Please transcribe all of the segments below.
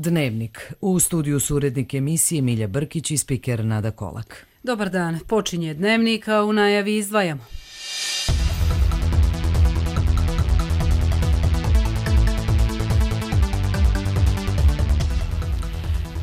Dnevnik. U studiju su urednik emisije Milja Brkić i spiker Nada Kolak. Dobar dan. Počinje Dnevnik, a u najavi izdvajamo.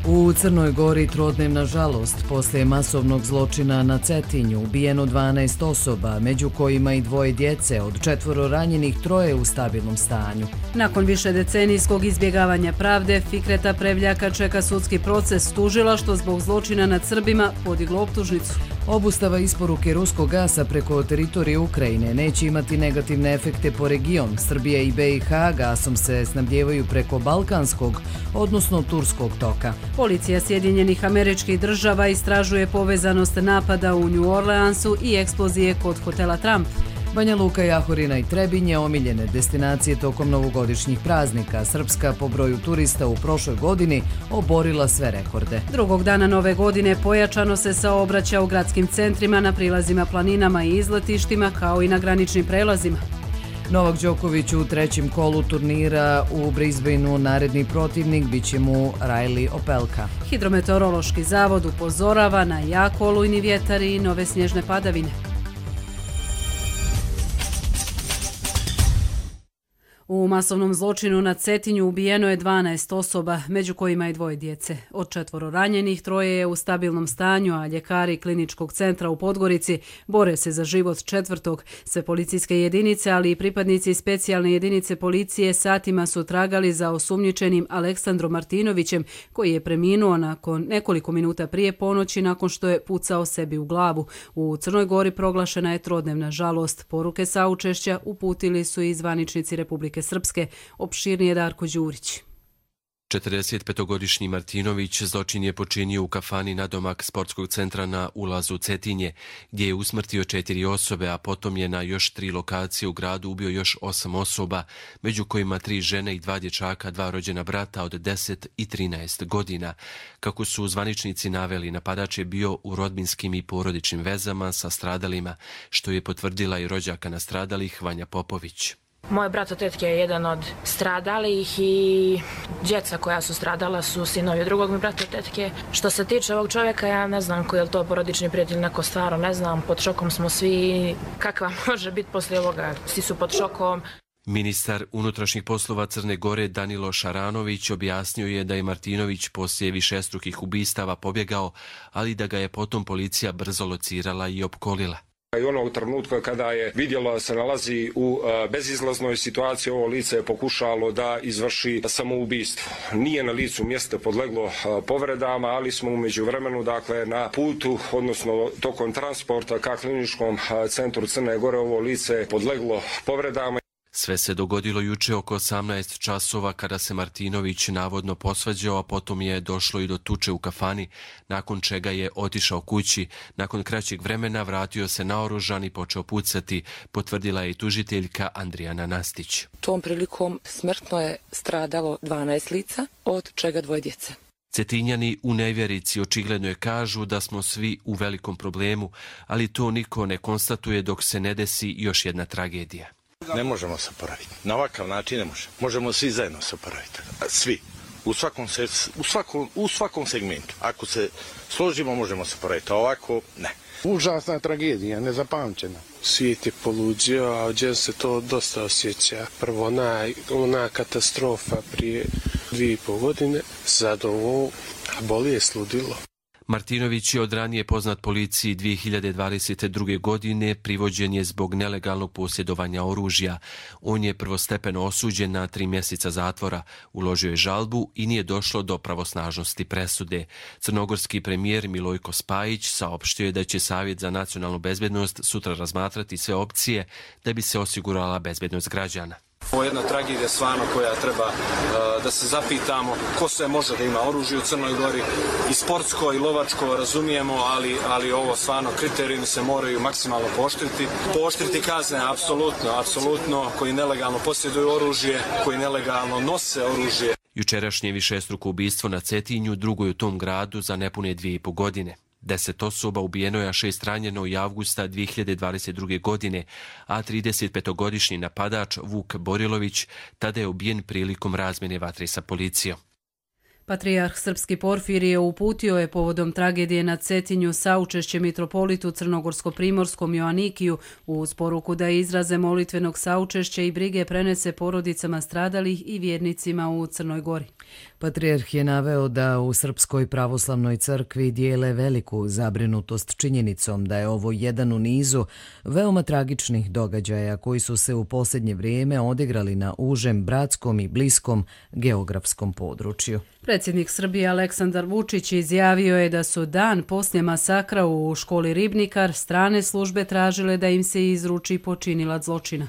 U Crnoj Gori trodnevna žalost poslije masovnog zločina na Cetinju, ubijeno 12 osoba, među kojima i 2 djece, od 4 ranjenih 3 u stabilnom stanju. Nakon višedecenijskog izbjegavanja pravde, Fikreta Prevljaka čeka sudski proces. Tužilaštvo zbog zločina nad Srbima podiglo optužnicu. Obustava isporuke ruskog gasa preko teritorije Ukrajine neće imati negativne efekte po region. Srbija i BiH gasom se snabdijevaju preko Balkanskog, odnosno Turskog toka. Policija Sjedinjenih Američkih Država istražuje povezanost napada u New Orleansu i eksplozije kod hotela Trump. Banja Luka, Jahorina i Trebinje omiljene destinacije tokom novogodišnjih praznika. Srpska po broju turista u prošloj godini oborila sve rekorde. Drugog dana nove godine pojačano se saobraća u gradskim centrima, na prilazima, planinama i izletištima, kao i na graničnim prelazima. Novak Đoković u 3. kolu turnira u Brisbaneu, naredni protivnik biće mu Riley Opelka. Hidrometeorološki zavod upozorava na jak olujni vjetar i nove snježne padavine. U masovnom zločinu na Cetinju ubijeno je 12 osoba, među kojima i 2 djece. Od 4 ranjenih 3 je u stabilnom stanju, a ljekari Kliničkog centra u Podgorici bore se za život 4. Sve policijske jedinice, ali i pripadnici specijalne jedinice policije satima su tragali za osumnjičenim Aleksandrom Martinovićem, koji je preminuo nakon nekoliko minuta prije ponoći nakon što je pucao sebi u glavu. U Crnoj Gori proglašena je trodnevna žalost. Poruke saučešća uputili su i zvaničnici Republike Srpske. Opširnije Darko Đurić. 45-godišnji Martinović zločin je počinio u kafani nadomak sportskog centra na ulazu Cetinje, gdje je usmrtio 4 osobe, a potom je na još 3 lokacije u gradu ubio još 8 osoba, među kojima 3 žene i 2 dječaka, 2 rođena brata od 10 i 13 godina. Kako su zvaničnici naveli, napadač je bio u rodbinskim i porodičnim vezama sa stradalima, što je potvrdila i rođaka nastradalih Vanja Popović. Moj brat od tetke je jedan od stradalih i djeca koja su stradala su sinovi drugog mi brata od tetke. Što se tiče ovog čovjeka, ja ne znam koji je to porodični prijatelj, neko stvarno ne znam. Pod šokom smo svi, kakva može biti poslije ovoga, svi su pod šokom. Ministar unutrašnjih poslova Crne Gore Danilo Šaranović objasnio je da je Martinović poslije višestrukih ubistava pobjegao, ali da ga je potom policija brzo locirala i opkolila. I onog trenutka kada je vidjelo da se nalazi u bezizlaznoj situaciji, ovo lice je pokušalo da izvrši samoubistvo. Nije na licu mjesta podleglo povredama, ali smo u međuvremenu, dakle, na putu, odnosno tokom transporta ka Kliničkom centru Crne Gore, ovo lice je podleglo povredama. Sve se dogodilo juče oko 18 časova kada se Martinović navodno posvađao, a potom je došlo i do tuče u kafani, nakon čega je otišao kući. Nakon kraćeg vremena vratio se naoružan i počeo pucati, potvrdila je i tužiteljka Andrijana Nastić. Tom prilikom smrtno je stradalo 12 lica, od čega 2 djece. Cetinjani u nevjerici očigledno je kažu da smo svi u velikom problemu, ali to niko ne konstatuje dok se ne desi još jedna tragedija. Ne možemo se oporaviti. Na ovakav način ne možemo. Možemo svi zajedno se oporaviti. Svi. U svakom segmentu. Ako se složimo, možemo se oporaviti. A ovako, ne. Užasna tragedija, nezapamćena. Svijet je poluđio, a ovdje se to dosta osjeća. Prvo ona katastrofa prije 2,5 godine. Sad ovo boli je sludilo. Martinović je od ranije poznat policiji 2022. godine, privođen je zbog nelegalnog posjedovanja oružja. On je prvostepeno osuđen na 3 mjeseca zatvora, uložio je žalbu i nije došlo do pravosnažnosti presude. Crnogorski premijer Milojko Spajić saopštio je da će Savjet za nacionalnu bezbednost sutra razmatrati sve opcije da bi se osigurala bezbednost građana. Ovo je jedna tragedija stvarno koja treba da se zapitamo ko sve može da ima oružje u Crnoj Gori, i sportsko i lovačko razumijemo, ali ovo stvarno kriterijumi se moraju maksimalno pooštriti. Pooštriti kazne, apsolutno, koji nelegalno posjeduju oružje, koji nelegalno nose oružje. Jučerašnje višestruko ubistvo na Cetinju, drugo je u tom gradu za nepune 2,5 godine. 10 osoba ubijeno je, a 6 ranjeno i avgusta 2022. godine, a 35-godišnji napadač Vuk Borilović tada je ubijen prilikom razmjene vatre sa policijom. Patrijarh Srpski Porfirije uputio je povodom tragedije na Cetinju saučešće mitropolitu Crnogorsko-primorskom Joanikiju uz poruku da izraze molitvenog saučešća i brige prenese porodicama stradalih i vjernicima u Crnoj Gori. Patrijarh je naveo da u Srpskoj pravoslavnoj crkvi dijele veliku zabrinutost činjenicom da je ovo jedan u nizu veoma tragičnih događaja koji su se u posljednje vrijeme odigrali na užem, bratskom i bliskom geografskom području. Predsjednik Srbije Aleksandar Vučić izjavio je da su dan poslije masakra u školi Ribnikar strane službe tražile da im se izruči počinilac zločina.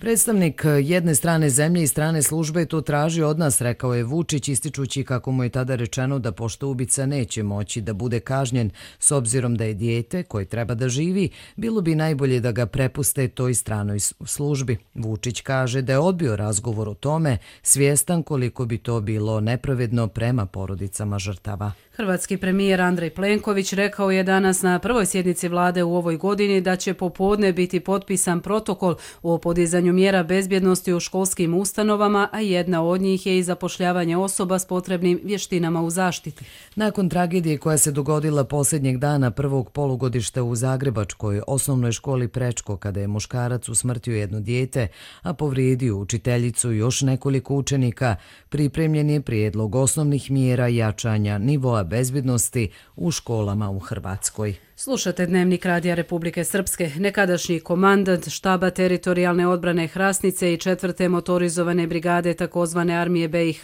Predstavnik jedne strane zemlje i strane službe to traži od nas, rekao je Vučić, ističući kako mu je tada rečeno da pošto ubica neće moći da bude kažnjen s obzirom da je dijete koje treba da živi, bilo bi najbolje da ga prepuste toj stranoj službi. Vučić kaže da je odbio razgovor o tome, svjestan koliko bi to bilo nepravedno prema porodicama žrtava. Hrvatski premijer Andrej Plenković rekao je danas na prvoj sjednici vlade u ovoj godini da će popodne biti potpisan protokol o podizanju mjera bezbjednosti u školskim ustanovama, a jedna od njih je i zapošljavanje osoba s potrebnim vještinama u zaštiti. Nakon tragedije koja se dogodila posljednjeg dana prvog polugodišta u Zagrebačkoj osnovnoj školi Prečko, kada je muškarac usmrtio jedno dijete, a povrijedio učiteljicu i još nekoliko učenika, pripremljen je prijedlog osnovnih mjera jačanja nivoa bezbjednosti u školama u Hrvatskoj. Slušate Dnevnik Radija Republike Srpske. Nekadašnji komandant štaba teritorijalne odbrane Hrasnice i 4. motorizovane brigade takozvane armije BiH,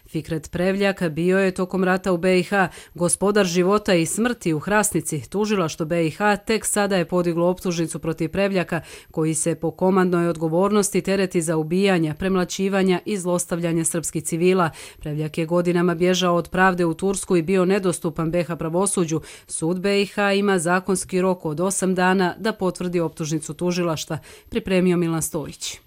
Fikret Prevljak, bio je tokom rata u BiH gospodar života i smrti u Hrasnici. Tužilaštvo BiH tek sada je podiglo optužnicu protiv Prevljaka, koji se po komandnoj odgovornosti tereti za ubijanja, premlaćivanja i zlostavljanje srpskih civila. Prevljak je godinama bježao od pravde u Tursku i bio nedostupan BiH pravosuđu. Sud BiH ima zakonski rok od 8 dana da potvrdi optužnicu tužilaštva, pripremio Milan Stojić.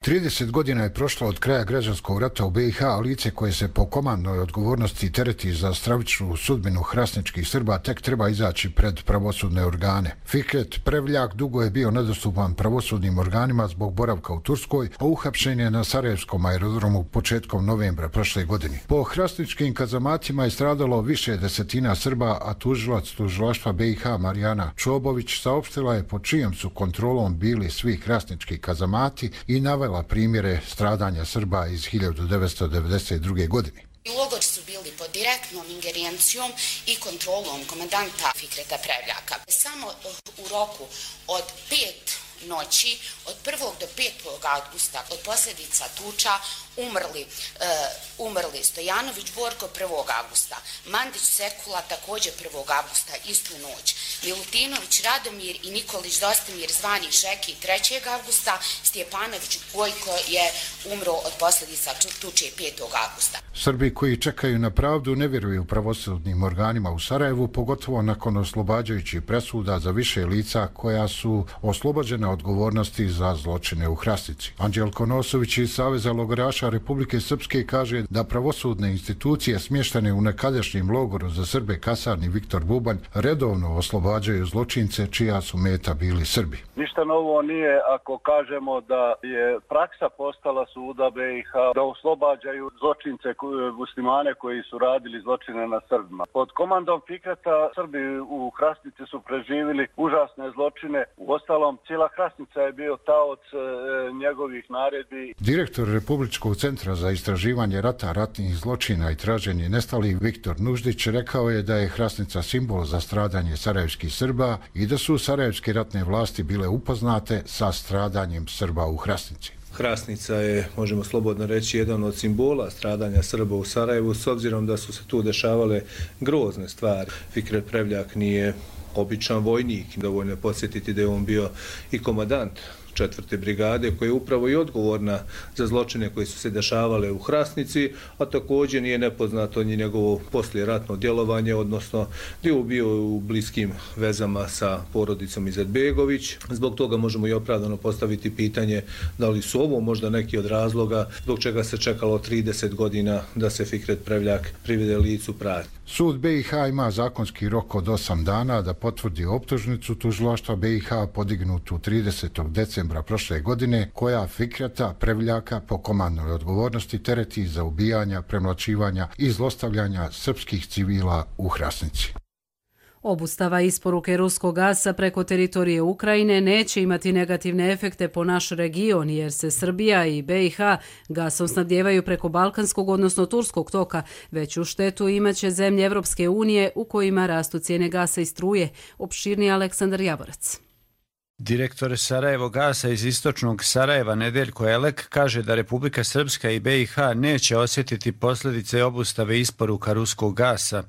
30 godina je prošlo od kraja građanskog rata u BiH, a lice koje se po komandnoj odgovornosti tereti za stravičnu sudbinu hrasničkih Srba tek treba izaći pred pravosudne organe. Fikret Prevljak dugo je bio nedostupan pravosudnim organima zbog boravka u Turskoj, a uhapšen je na Sarajevskom aerodromu početkom novembra prošle godine. Po hrasničkim kazamatima je stradalo više desetina Srba, a tužilac tužilaštva BiH Marijana Čobović saopštila je pod čijom su kontrolom bili svi hrasnički kazamati i navela primjere stradanja Srba iz 1992. godine. Logori su bili pod direktnom ingerencijom i kontrolom komandanta Fikreta Prevljaka. Samo u roku od 5 noći, od 1. do 5. avgusta, od posljedica tuča, umrli Stojanović Borko 1. avgusta, Mandić Sekula također 1. avgusta, istu noć, Milutinović Radomir i Nikolić Dostimir zvani Žeki 3. avgusta, Stjepanović Gojko je umro od posljedica tuče 5. avgusta. Srbi koji čekaju na pravdu ne vjeruju pravosudnim organima u Sarajevu, pogotovo nakon oslobađajućih presuda za više lica koja su oslobođena odgovornosti za zločine u Hrasnici. Anđelko Nosović iz Saveza logoraša Republike Srpske kaže da pravosudne institucije smještene u nekadašnjem logoru za Srbe kasarni Viktor Bubanj redovno oslobađaju zločince čija su meta bili Srbi. Ništa novo nije ako kažemo da je praksa postala suda BiH da oslobađaju zločince muslimane koji su radili zločine na Srbima. Pod komandom Fikreta Srbi u Hrasnici su preživjeli užasne zločine. Uostalom, cijela Hrasnica je bio taoc njegovih naredbi. Direktor Republičkog centra za istraživanje rata, ratnih zločina i traženje nestalih Viktor Nuždić rekao je da je Hrasnica simbol za stradanje sarajevskih Srba i da su sarajevske ratne vlasti bile upoznate sa stradanjem Srba u Hrasnici. Hrasnica je, možemo slobodno reći, jedan od simbola stradanja Srba u Sarajevu, s obzirom da su se tu dešavale grozne stvari. Fikret Prevljak nije običan vojnik, dovoljno je podsjetiti da je on bio i komandant 4. brigade koja je upravo i odgovorna za zločine koji su se dešavale u Hrasnici, a također nije nepoznato ni njegovo poslijeratno djelovanje, odnosno gdje je bio u bliskim vezama sa porodicom Izetbegović. Zbog toga možemo i opravdano postaviti pitanje da li su ovo možda neki od razloga zbog čega se čekalo 30 godina da se Fikret Prevljak privede licu pravde. Sud BiH ima zakonski rok od 8 dana da potvrdi optužnicu tužilaštva BiH podignutu 30. decembra novembra prošle godine, koja Fikreta Prevljaka po komandnoj odgovornosti tereti za ubijanja, premlaćivanja i zlostavljanja srpskih civila u Hrasnici. Obustava isporuke ruskog gasa preko teritorije Ukrajine neće imati negativne efekte po naš region, jer se Srbija i BiH gasom snabdijevaju preko balkanskog, odnosno turskog toka. Veću štetu imaće zemlje Evropske unije u kojima rastu cijene gasa i struje. Opširni Aleksandar Javorac. Direktor Sarajevo gasa iz istočnog Sarajeva Nedeljko Elek kaže da Republika Srpska i BiH neće osjetiti posljedice obustave isporuka ruskog gasa.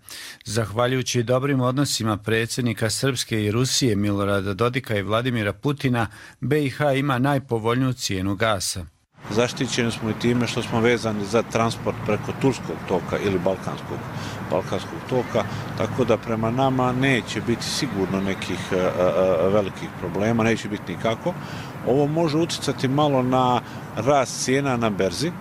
Zahvaljujući dobrim odnosima predsjednika Srpske i Rusije Milorada Dodika i Vladimira Putina, BiH ima najpovoljniju cijenu gasa. Zaštićeni smo i time što smo vezani za transport preko turskog toka ili balkanskog toka, tako da prema nama neće biti sigurno nekih velikih problema, neće biti nikako. Ovo može utjecati malo na rast cijena na berzi,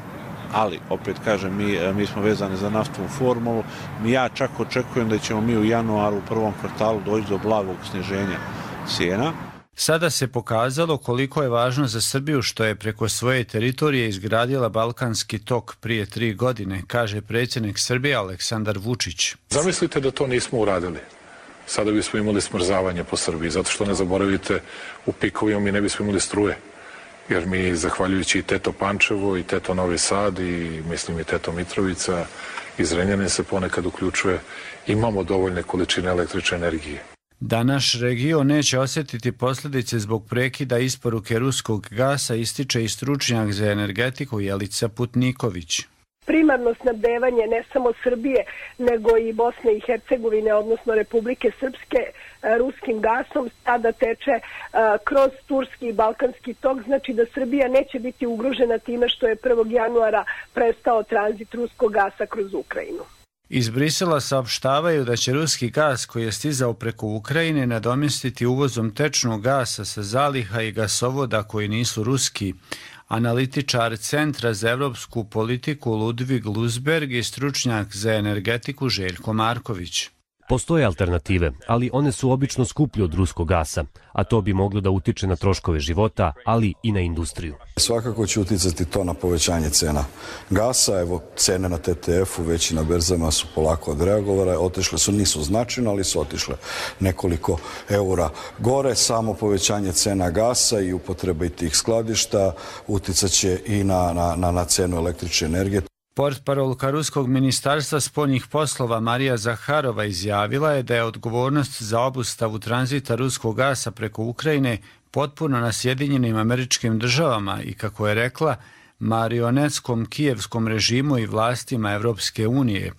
ali opet kažem, mi smo vezani za naftovu formulu. Ja čak očekujem da ćemo mi u januaru u prvom kvartalu doći do blagog sniženja cijena. Sada se pokazalo koliko je važno za Srbiju što je preko svoje teritorije izgradila Balkanski tok prije 3 godine, kaže predsjednik Srbije Aleksandar Vučić. Zamislite da to nismo uradili. Sada bismo imali smrzavanje po Srbiji, zato što ne zaboravite, u pikovima mi ne bismo imali struje. Jer mi, zahvaljujući i Teto Pančevo, i Teto Novi Sad, i mislim i Teto Mitrovica, i Zrenjanin se ponekad uključuje, imamo dovoljne količine električne energije. Da naš region neće osjetiti posljedice zbog prekida isporuke ruskog gasa, ističe i stručnjak za energetiku Jelica Putniković. Primarno snabdevanje ne samo Srbije, nego i Bosne i Hercegovine, odnosno Republike Srpske, ruskim gasom sada teče kroz turski i balkanski tok, znači da Srbija neće biti ugrožena time što je 1. januara prestao tranzit ruskog gasa kroz Ukrajinu. Iz Brisela saopštavaju da će ruski gas koji je stizao preko Ukrajine nadomjestiti uvozom tečnog gasa sa zaliha i gasovoda koji nisu ruski. Analitičar Centra za evropsku politiku Ludvig Lusberg i stručnjak za energetiku Željko Marković. Postoje alternative, ali one su obično skuplje od ruskog gasa, a to bi moglo da utiče na troškove života, ali i na industriju. Svakako će uticati to na povećanje cena gasa. Evo, cene na TTF-u već i na berzama su polako odreagovale, otišle su, nisu značajno, ali su otišle nekoliko eura gore. Samo povećanje cena gasa i upotrebe tih skladišta uticat će i na cenu električne energije. Portparolka Ruskog ministarstva spoljnih poslova Marija Zaharova izjavila je da je odgovornost za obustavu tranzita ruskog gasa preko Ukrajine potpuno na Sjedinjenim Američkim Državama i, kako je rekla, marionetskom kijevskom režimu i vlastima Evropske unije.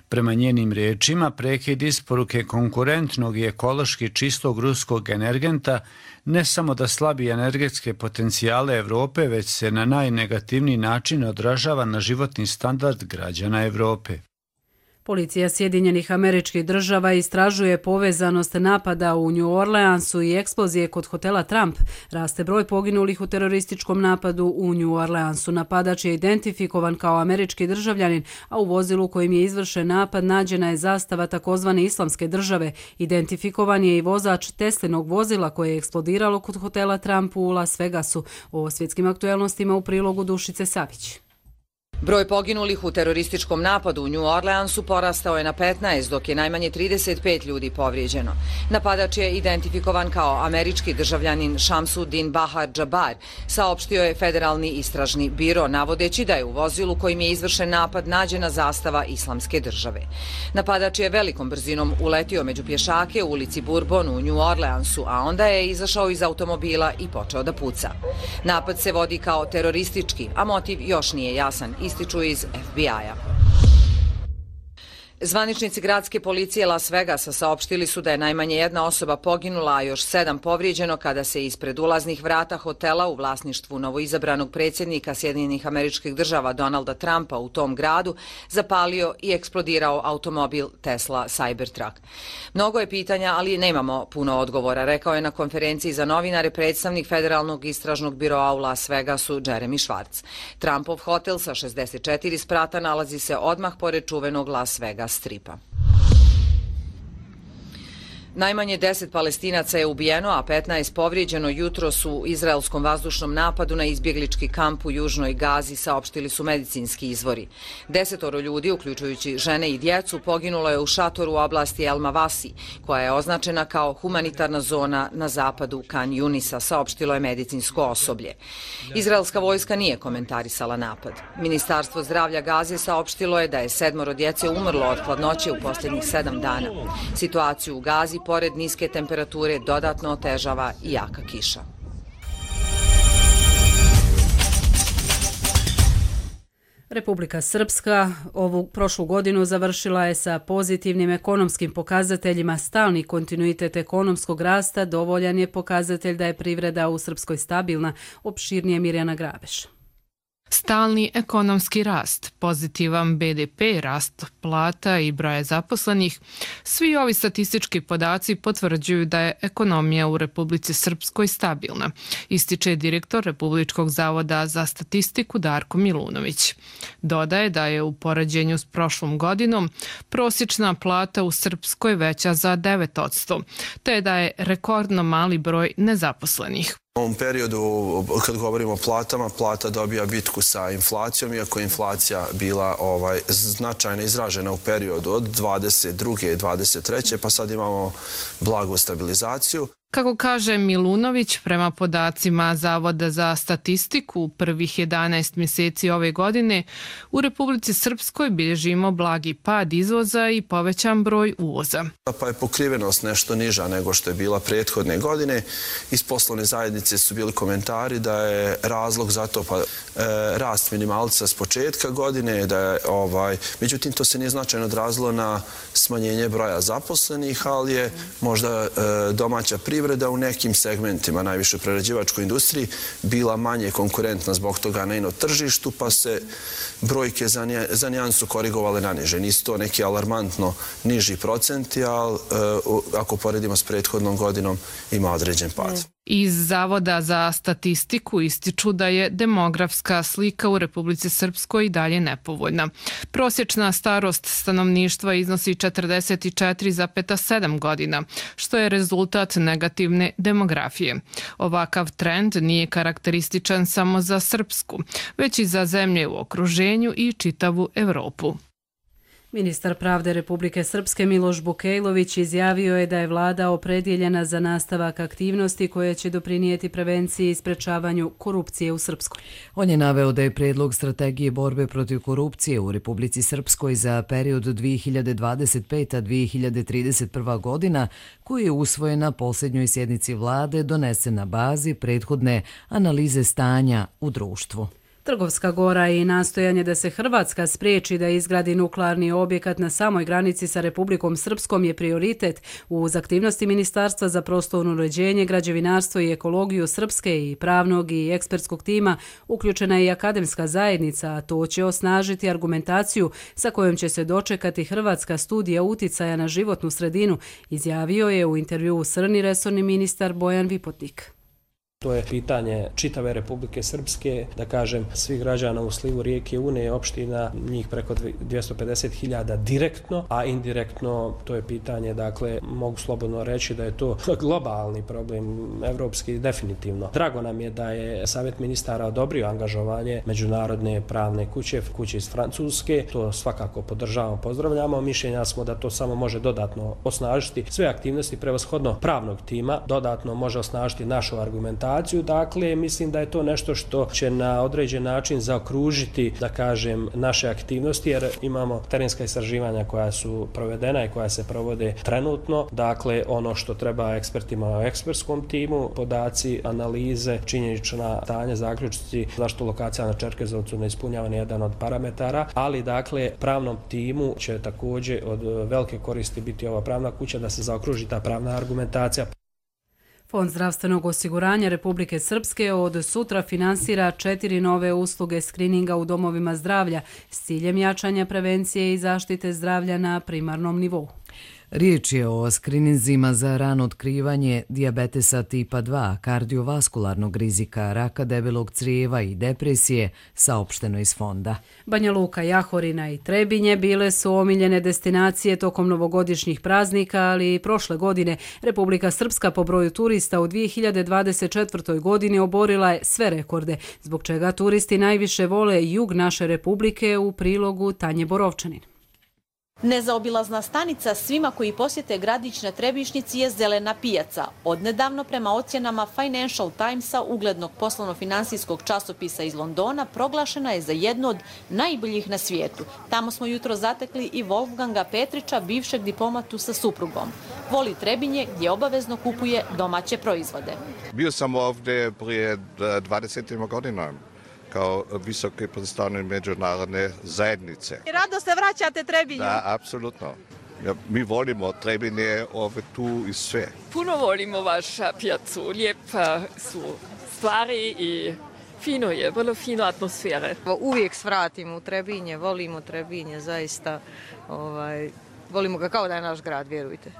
Prema njenim riječima, prekid isporuke konkurentnog i ekološki čistog ruskog energenta ne samo da slabi energetske potencijale Evrope, već se na najnegativniji način odražava na životni standard građana Evrope. Policija Sjedinjenih Američkih Država istražuje povezanost napada u New Orleansu i eksplozije kod hotela Trump. Raste broj poginulih u terorističkom napadu u New Orleansu. Napadač je identifikovan kao američki državljanin, a u vozilu kojim je izvršen napad nađena je zastava takozvane Islamske države. Identifikovan je i vozač Teslinog vozila koje je eksplodiralo kod hotela Trump u Las Vegasu. O svjetskim aktuelnostima u prilogu Dušice Savić. Broj poginulih u terorističkom napadu u New Orleansu porastao je na 15, dok je najmanje 35 ljudi povrijeđeno. Napadač je identifikovan kao američki državljanin Shamsuddin Bahar Jabbar, saopštio je Federalni istražni biro, navodeći da je u vozilu kojim je izvršen napad nađena zastava Islamske države. Napadač je velikom brzinom uletio među pješake u ulici Bourbon u New Orleansu, a onda je izašao iz automobila i počeo da puca. Napad se vodi kao teroristički, a motiv još nije jasan, ističu iz FBI-a. Zvaničnici gradske policije Las Vegasa saopštili su da je najmanje jedna osoba poginula, a još 7 povrijeđeno kada se ispred ulaznih vrata hotela u vlasništvu novoizabranog predsjednika Sjedinjenih Američkih Država Donalda Trumpa u tom gradu zapalio i eksplodirao automobil Tesla Cybertruck. Mnogo je pitanja, ali nemamo puno odgovora, rekao je na konferenciji za novinare predstavnik Federalnog istražnog biroa u Las Vegasu Jeremy Schwartz. Trumpov hotel sa 64 sprata nalazi se odmah pored čuvenog Las Vegas stripa. Najmanje 10 Palestinaca je ubijeno, a 15 povrijeđeno jutros u izraelskom vazdušnom napadu na izbjeglički kamp u južnoj Gazi, saopštili su medicinski izvori. 10 ljudi, uključujući žene i djecu, poginulo je u šatoru u oblasti El Mavasi, koja je označena kao humanitarna zona na zapadu Kan Yunisa, saopštilo je medicinsko osoblje. Izraelska vojska nije komentarisala napad. Ministarstvo zdravlja Gaze saopštilo je da je 7 djece umrlo od hladnoće u posljednjih 7 dana. Situaciju u Gazi, pored niske temperature, dodatno otežava i jaka kiša. Republika Srpska ovu prošlu godinu završila je sa pozitivnim ekonomskim pokazateljima. Stalni kontinuitet ekonomskog rasta dovoljan je pokazatelj da je privreda u Srpskoj stabilna, opširnije Mirjana Grabeš. Stalni ekonomski rast, pozitivan BDP, rast plata i broja zaposlenih, svi ovi statistički podaci potvrđuju da je ekonomija u Republici Srpskoj stabilna, ističe direktor Republičkog zavoda za statistiku Darko Milunović. Dodaje da je u poređenju s prošlom godinom prosječna plata u Srpskoj veća za 9%, te da je rekordno mali broj nezaposlenih. U ovom periodu, kad govorimo o platama, plata dobija bitku sa inflacijom, iako je inflacija bila značajno izražena u periodu od 22. i 23. pa sad imamo blagu stabilizaciju. Kako kaže Milunović, prema podacima Zavoda za statistiku, u prvih 11 mjeseci ove godine u Republici Srpskoj bilježimo blagi pad izvoza i povećan broj uvoza. Pa je pokrivenost nešto niža nego što je bila prethodne godine. Iz poslovne zajednice su bili komentari da je razlog za to rast minimalca s početka godine, međutim to se nije značajno odrazilo na smanjenje broja zaposlenih, ali je možda domaća privreda u nekim segmentima, najviše u prerađivačkoj industriji, bila manje konkurentna zbog toga na tržištu, pa se brojke za nijansu korigovale na niže. Nisu to neki alarmantno niži procenti, ali ako poredimo s prethodnom godinom ima određen pad. Iz Zavoda za statistiku ističu da je demografska slika u Republici Srpskoj i dalje nepovoljna. Prosječna starost stanovništva iznosi 44,7 godina, što je rezultat negativne demografije. Ovakav trend nije karakterističan samo za Srpsku, već i za zemlje u okruženju i čitavu Evropu. Ministar pravde Republike Srpske Miloš Bukejlović izjavio je da je vlada opredjeljena za nastavak aktivnosti koje će doprinijeti prevenciji i sprečavanju korupcije u Srpskoj. On je naveo da je prijedlog strategije borbe protiv korupcije u Republici Srpskoj za period 2025-2031 godina, koji je usvojen na posljednjoj sjednici vlade, donesen na bazi prethodne analize stanja u društvu. Trgovska Gora i nastojanje da se Hrvatska spriječi da izgradi nuklearni objekat na samoj granici sa Republikom Srpskom je prioritet uz aktivnosti Ministarstva za prostorno uređenje, građevinarstvo i ekologiju Srpske i pravnog i ekspertskog tima. Uključena je i akademska zajednica, a to će osnažiti argumentaciju sa kojom će se dočekati hrvatska studija uticaja na životnu sredinu, izjavio je u intervjuu Srni resorni ministar Bojan Vipotnik. To je pitanje čitave Republike Srpske, da kažem, svih građana u slivu rijeke Une, opština, njih preko 250.000 direktno, a indirektno to je pitanje, dakle, mogu slobodno reći da je to globalni problem, evropski definitivno. Drago nam je da je Savjet ministara odobrio angažovanje međunarodne pravne kuće iz Francuske, to svakako podržavamo, pozdravljamo, mišljenja smo da to samo može dodatno osnažiti sve aktivnosti prevashodno pravnog tima, dodatno može osnažiti našu argumentaciju. Dakle, mislim da je to nešto što će na određen način zaokružiti, da kažem, naše aktivnosti, jer imamo terenska istraživanja koja su provedena i koja se provode trenutno. Dakle, ono što treba ekspertima u ekspertskom timu, podaci, analize, činjenična stanja, zaključci, zašto lokacija na Čerkezovcu ne ispunjava ni jedan od parametara, ali dakle, pravnom timu će također od velike koristi biti ova pravna kuća da se zaokruži ta pravna argumentacija. Fond zdravstvenog osiguranja Republike Srpske od sutra finansira 4 nove usluge skrininga u domovima zdravlja s ciljem jačanja prevencije i zaštite zdravlja na primarnom nivou. Riječ je o skrininzima za rano otkrivanje dijabetesa tipa 2, kardiovaskularnog rizika, raka debelog crijeva i depresije, saopšteno iz fonda. Banja Luka, Jahorina i Trebinje bile su omiljene destinacije tokom novogodišnjih praznika, ali i prošle godine Republika Srpska po broju turista u 2024. godini oborila je sve rekorde, zbog čega turisti najviše vole jug naše Republike, u prilogu Tanje Borovčanin. Nezaobilazna stanica svima koji posjete gradić na Trebišnjici je zelena pijaca. Odnedavno, prema ocjenama Financial Timesa, uglednog poslovno-finansijskog časopisa iz Londona, proglašena je za jednu od najboljih na svijetu. Tamo smo jutro zatekli i Wolfganga Petrića, bivšeg diplomatu sa suprugom. Voli Trebinje gdje obavezno kupuje domaće proizvode. Bio sam ovdje prije 20 godina kao visoki predstavnik međunarodne zajednice. Rado se vraćate Trebinju? Da, apsolutno. Ja, mi volimo Trebinje, ovdje tu i sve. Puno volimo vašu pijacu, lijepa su stvari i fino je, vrlo fino atmosfere. Uvijek svratim u Trebinje, volimo Trebinje, zaista volimo ga kao da je naš grad, vjerujte.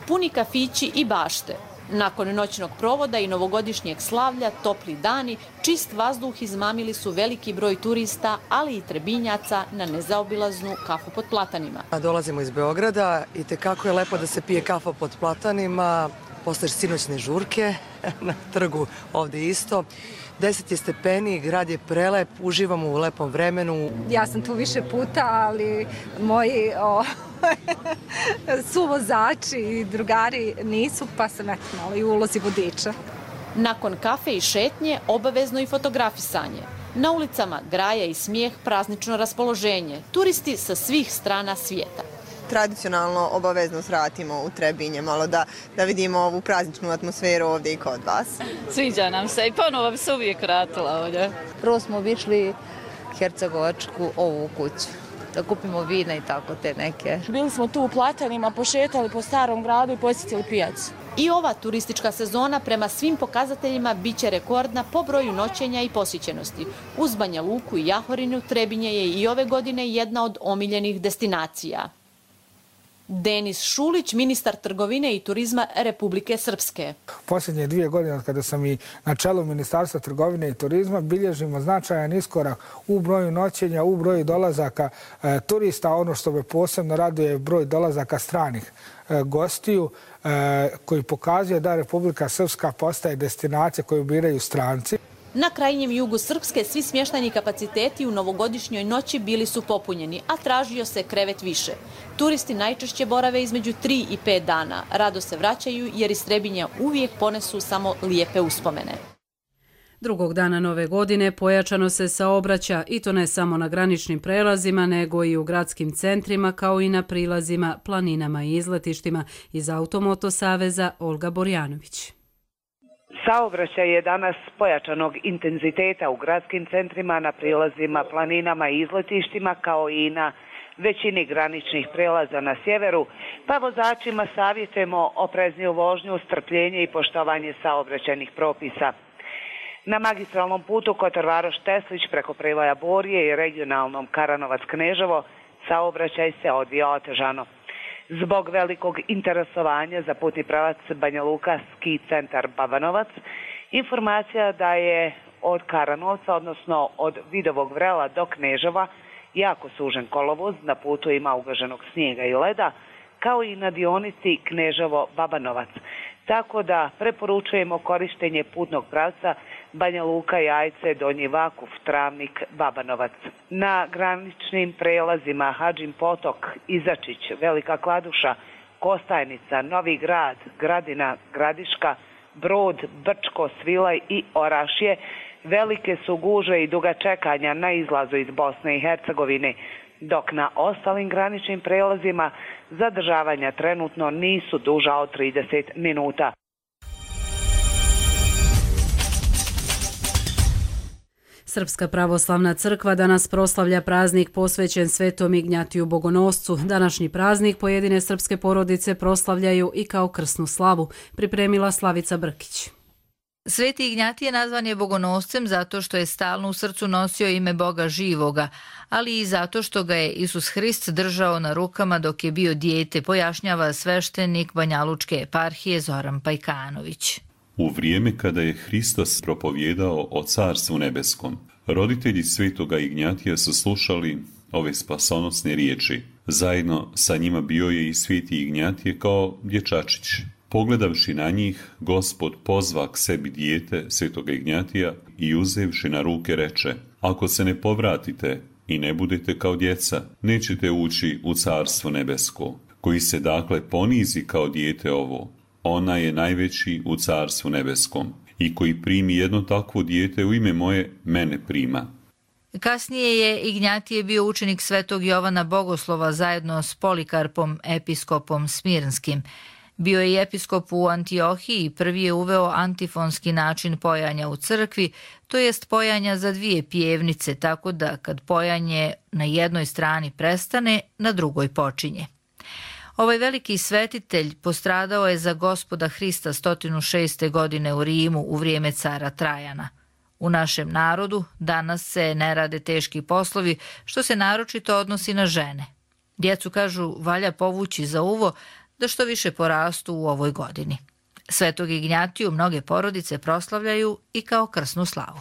Puni kafići i bašte. Nakon noćnog provoda i novogodišnjeg slavlja, topli dani, čist vazduh izmamili su veliki broj turista, ali i Trebinjaca na nezaobilaznu kafu pod platanima. Dolazimo iz Beograda i tekako je lepo da se pije kafa pod platanima, posle sinoćne žurke na trgu ovdje isto. 10 je stepeni, grad je prelep, uživamo u lepom vremenu. Ja sam tu više puta, ali moji suvozači i drugari nisu, pa sam malo i u ulozi vodiča. Nakon kafe i šetnje, obavezno i fotografisanje. Na ulicama graja i smijeh, praznično raspoloženje. Turisti sa svih strana svijeta. Tradicionalno obavezno svratimo u Trebinje, malo da vidimo ovu prazničnu atmosferu ovdje i kod vas. Sviđa nam se i ponovo bi se uvijek vratila ovdje. Prvo smo obišli Hercegovačku ovu kuću, da kupimo vina i tako te neke. Bili smo tu u Platanima, pošetali po starom gradu i posjetili pijacu. I ova turistička sezona prema svim pokazateljima biće rekordna po broju noćenja i posjećenosti. Uz Banja Luku i Jahorinu, Trebinje je i ove godine jedna od omiljenih destinacija. Denis Šulić, ministar trgovine i turizma Republike Srpske. Posljednje 2 godine kada sam i na čelu Ministarstva trgovine i turizma bilježimo značajan iskorak u broju noćenja, u broju dolazaka turista. Ono što me posebno raduje je broj dolazaka stranih gostiju koji pokazuje da Republika Srpska postaje destinacija koju biraju stranci. Na krajnjem jugu Srpske svi smještajni kapaciteti u novogodišnjoj noći bili su popunjeni, a tražio se krevet više. Turisti najčešće borave između 3 i 5 dana. Rado se vraćaju jer iz Trebinja uvijek ponesu samo lijepe uspomene. Drugog dana nove godine pojačano se saobraća i to ne samo na graničnim prelazima, nego i u gradskim centrima kao i na prilazima, planinama i izletištima. Iz Automoto saveza Olga Borjanović. Saobraćaj je danas pojačanog intenziteta u gradskim centrima, na prilazima, planinama i izletištima kao i na većini graničnih prelaza na sjeveru, pa vozačima savjetujemo oprezniju vožnju, strpljenje i poštovanje saobraćajnih propisa. Na magistralnom putu Kotor Varoš-Teslić preko Prevaja Borje i regionalnom Karanovac-Kneževo saobraćaj se odvija otežano. Zbog velikog interesovanja za putni pravac Banja Luka ski centar Babanovac, informacija da je od Karanovca, odnosno od Vidovog Vrela do Kneževa, jako sužen kolovoz, na putu ima ugaženog snijega i leda, kao i na dionici Kneževo-Babanovac. Tako da preporučujemo korištenje putnog pravca Banja Luka, Jajce, Donji Vakuf, Travnik, Babanovac. Na graničnim prelazima Hadžin Potok, Izačić, Velika Kladuša, Kostajnica, Novi Grad, Gradina, Gradiška, Brod, Brčko, Svilaj i Orašje velike su gužve i duga čekanja na izlazu iz Bosne i Hercegovine, dok na ostalim graničnim prelazima zadržavanja trenutno nisu duža od 30 minuta. Srpska pravoslavna crkva danas proslavlja praznik posvećen Svetom Ignjatiju Bogonoscu. Današnji praznik pojedine srpske porodice proslavljaju i kao krsnu slavu, pripremila Slavica Brkić. Sveti Ignjatije nazvan je bogonoscem zato što je stalno u srcu nosio ime Boga živoga, ali i zato što ga je Isus Hrist držao na rukama dok je bio dijete, pojašnjava sveštenik Banjalučke eparhije Zoran Pajkanović. U vrijeme kada je Hristos propovjedao o Carstvu nebeskom, roditelji svetoga Ignjatija su slušali ove spasonosne riječi. Zajedno sa njima bio je i sveti Ignjatije kao dječačić. Pogledavši na njih, Gospod pozva k sebi dijete svetoga Ignjatija i uzevši na ruke reče: ako se ne povratite i ne budete kao djeca, nećete ući u Carstvo nebesko. Koji se dakle ponizi kao dijete ovo, ona je najveći u Carstvu nebeskom. I koji primi jedno takvo dijete u ime moje, mene prima. Kasnije je Ignjatije bio učenik svetog Jovana Bogoslova zajedno s Polikarpom, episkopom Smirnskim. Bio je i episkop u Antiohiji i prvi je uveo antifonski način pojanja u crkvi, to jest pojanja za dvije pjevnice, tako da kad pojanje na jednoj strani prestane, na drugoj počinje. Ovaj veliki svetitelj postradao je za Gospoda Hrista 106. godine u Rimu u vrijeme cara Trajana. U našem narodu danas se ne rade teški poslovi, što se naročito odnosi na žene. Djecu, kažu, valja povući za uvo da što više porastu u ovoj godini. Svetog Ignjatiju mnoge porodice proslavljaju i kao krsnu slavu.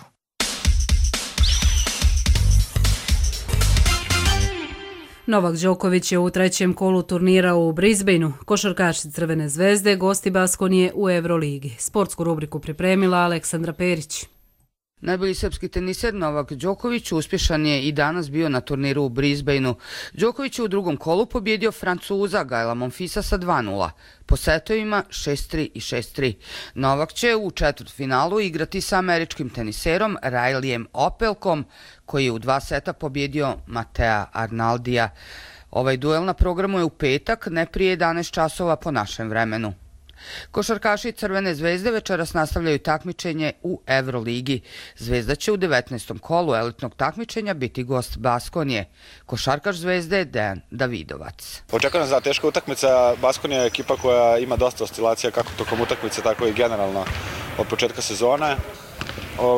Novak Đoković je u trećem kolu turnira u Brisbaneu. Košarkaši Crvene zvezde gosti Baskonije u Euroligi. Sportsku rubriku pripremila Aleksandra Perić. Najbolji srpski teniser Novak Đoković uspješan je i danas bio na turniru u Brisbaneu. Đoković je u drugom kolu pobjedio Francuza Gaela Monfilsa sa 2:0, po setovima 6:3 i 6:3. Novak će u četvrtfinalu igrati sa američkim teniserom Rileyem Opelkom, koji je u 2 seta pobjedio Matea Arnaldija. Ovaj duel na programu je u petak, ne prije 11 časova po našem vremenu. Košarkaši Crvene zvezde večeras nastavljaju takmičenje u Euroligi. Zvezda će u 19. kolu elitnog takmičenja biti gost Baskonije. Košarkaš Zvezde je Dejan Davidovac. Očekujem za teška utakmica. Baskonija je ekipa koja ima dosta oscilacija kako tokom utakmice, tako i generalno od početka sezone.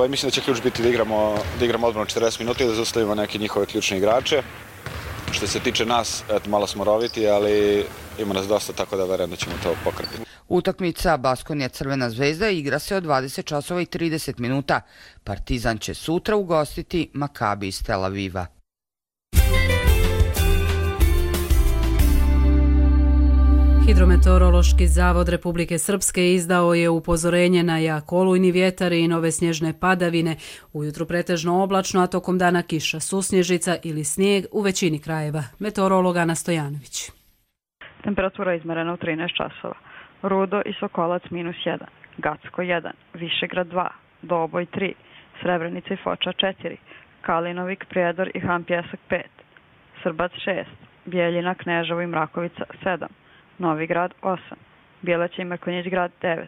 Mislim da će ključ biti da igramo odbranu 40 minuta i da zaustavimo neke njihove ključne igrače. Što se tiče nas, malo smo roviti, ali ima nas dosta, tako da verujem da ćemo to pokrpiti. Utakmica Baskonija Crvena zvezda igra se od 20 časova i 30 minuta. Partizan će sutra ugostiti Makabi iz Tel Aviva. Hidrometeorološki zavod Republike Srpske izdao je upozorenje na jak olujni vjetar i nove snježne padavine. Ujutro pretežno oblačno, a tokom dana kiša, susnježica ili snijeg u većini krajeva. Meteorolog Ana Stojanović. Temperatura izmerena u 13 časova. Rudo i Sokolac -1, Gacko 1, Višegrad 2, Doboj 3, Srebrenica i Foča 4, Kalinovik, Prijedor i Han Pjesak 5, Srbac 6, Bijeljina, Kneževo i Mrakovica 7, Novi Grad 8, Bjelaća i Mrkonjić grad 9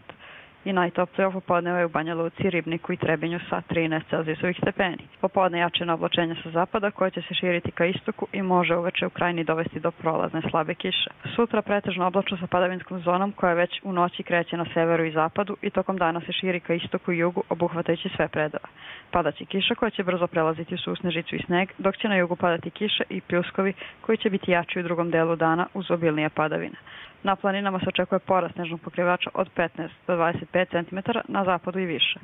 i najtoplije popodneva je u Banja Luci, Ribniku i Trebinju sa 13 celzijusovih stepeni. Popodne jačina oblačenja sa zapada koje će se širiti ka istoku i može uveče u krajini dovesti do prolazne slabe kiše. Sutra pretežno oblačno sa padavinskom zonom koja već u noći kreće na severu i zapadu i tokom dana se širi ka istoku i jugu obuhvatajući sve predela. Padaće kiša koja će brzo prelaziti u susnežicu i sneg, dok će na jugu padati kiše i pljuskovi koji će biti jači u drugom delu dana uz obilnije padavine. Na planinama se očekuje porast snežnog pokrivača od 15 do 25 cm, na zapadu i više.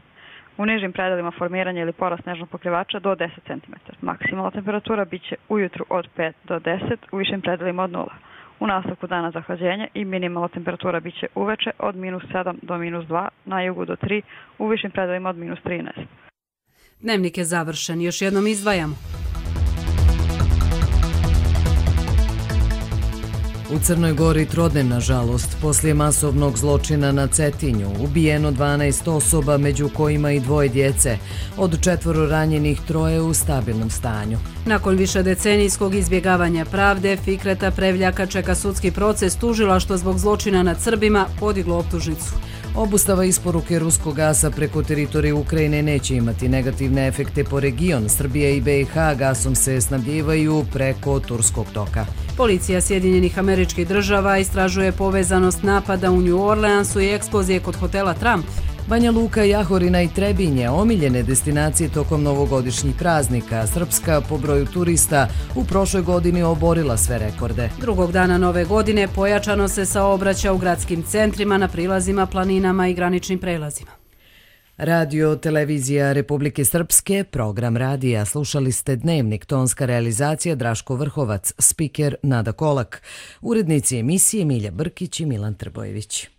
U nižim predelima formiranje ili porast snežnog pokrivača do 10 cm. Maksimalna temperatura biće ujutru od 5 do 10, u višim predelima od 0. U nastavku dana zahlađenje i minimalna temperatura biće uveče od -7 do -2, na jugu do 3, u višim predelima od -13. Dnevnik je završen, još jednom izdvajamo. U Crnoj Gori trodnevna žalost. Poslije masovnog zločina na Cetinju ubijeno 12 osoba, među kojima i 2 djece. Od 4 ranjenih 3 u stabilnom stanju. Nakon višedecenijskog izbjegavanja pravde, Fikreta Prevljaka čeka sudski proces. Tužilaštvo zbog zločina nad Srbima podiglo optužnicu. Obustava isporuke ruskog gasa preko teritorije Ukrajine neće imati negativne efekte po region. Srbija i BiH gasom se snabdijevaju preko Turskog toka. Policija Sjedinjenih Američkih Država istražuje povezanost napada u New Orleansu i eksplozije kod hotela Trump. Banja Luka, Jahorina i Trebinje, omiljene destinacije tokom novogodišnjih praznika. Srpska po broju turista u prošloj godini oborila sve rekorde. Drugog dana nove godine pojačano se saobraća u gradskim centrima, na prilazima, planinama i graničnim prelazima. Radio Televizija Republike Srpske, program radija. Slušali ste Dnevnik, tonska realizacija Draško Vrhovac, spiker Nada Kolak, urednici emisije Milja Brkić i Milan Trbojević.